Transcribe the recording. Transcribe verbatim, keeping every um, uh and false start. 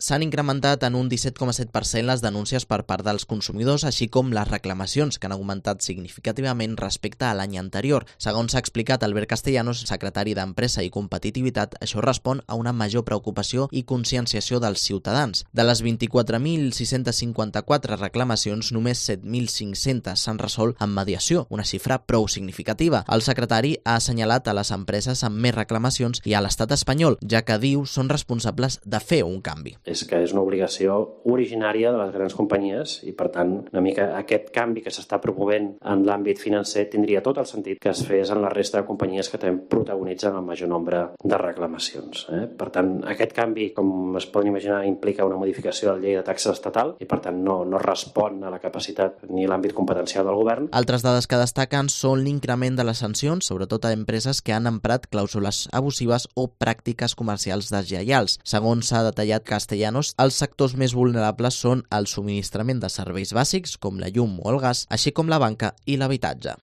s'han incrementat en un disset coma set per cent les denúncies per part dels consumidors, així com les reclamacions, que han augmentat significativament respecte a l'any anterior. Segons s'ha explicat Albert Castellanos, secretari d'Empresa i Competitivitat, això respon a una major preocupació i conscienciació dels ciutadans. De les vint-i-quatre mil sis-cents cinquanta-quatre reclamacions, només set mil cinc-cents s'han resolt en mediació, una xifra prou significativa. El secretari ha assenyalat a les empreses amb més reclamacions i a l'estat espanyol, ja que diu són responsables de fer un canvi. És que és una obligació originària de les grans companyies i, per tant, una mica aquest canvi que s'està promovent en l'àmbit financer tindria tot el sentit que es fes en la resta de companyies que també protagonitzen el major nombre de reclamacions. Eh? Per tant, aquest canvi, com es poden imaginar, implica una modificació de la llei de taxes estatal i, per tant, no, no respon a la capacitat ni a l'àmbit competencial del govern. Altres dades que destaquen són l'increment de les sancions, sobretot a empreses que han emprat clàusules abusives o pràctiques comercials deslleials. Segons s'ha detallat Castellanos, els sectors més vulnerables són el subministrament de serveis bàsics, com la llum o el gas, així com la banca i l'habitatge.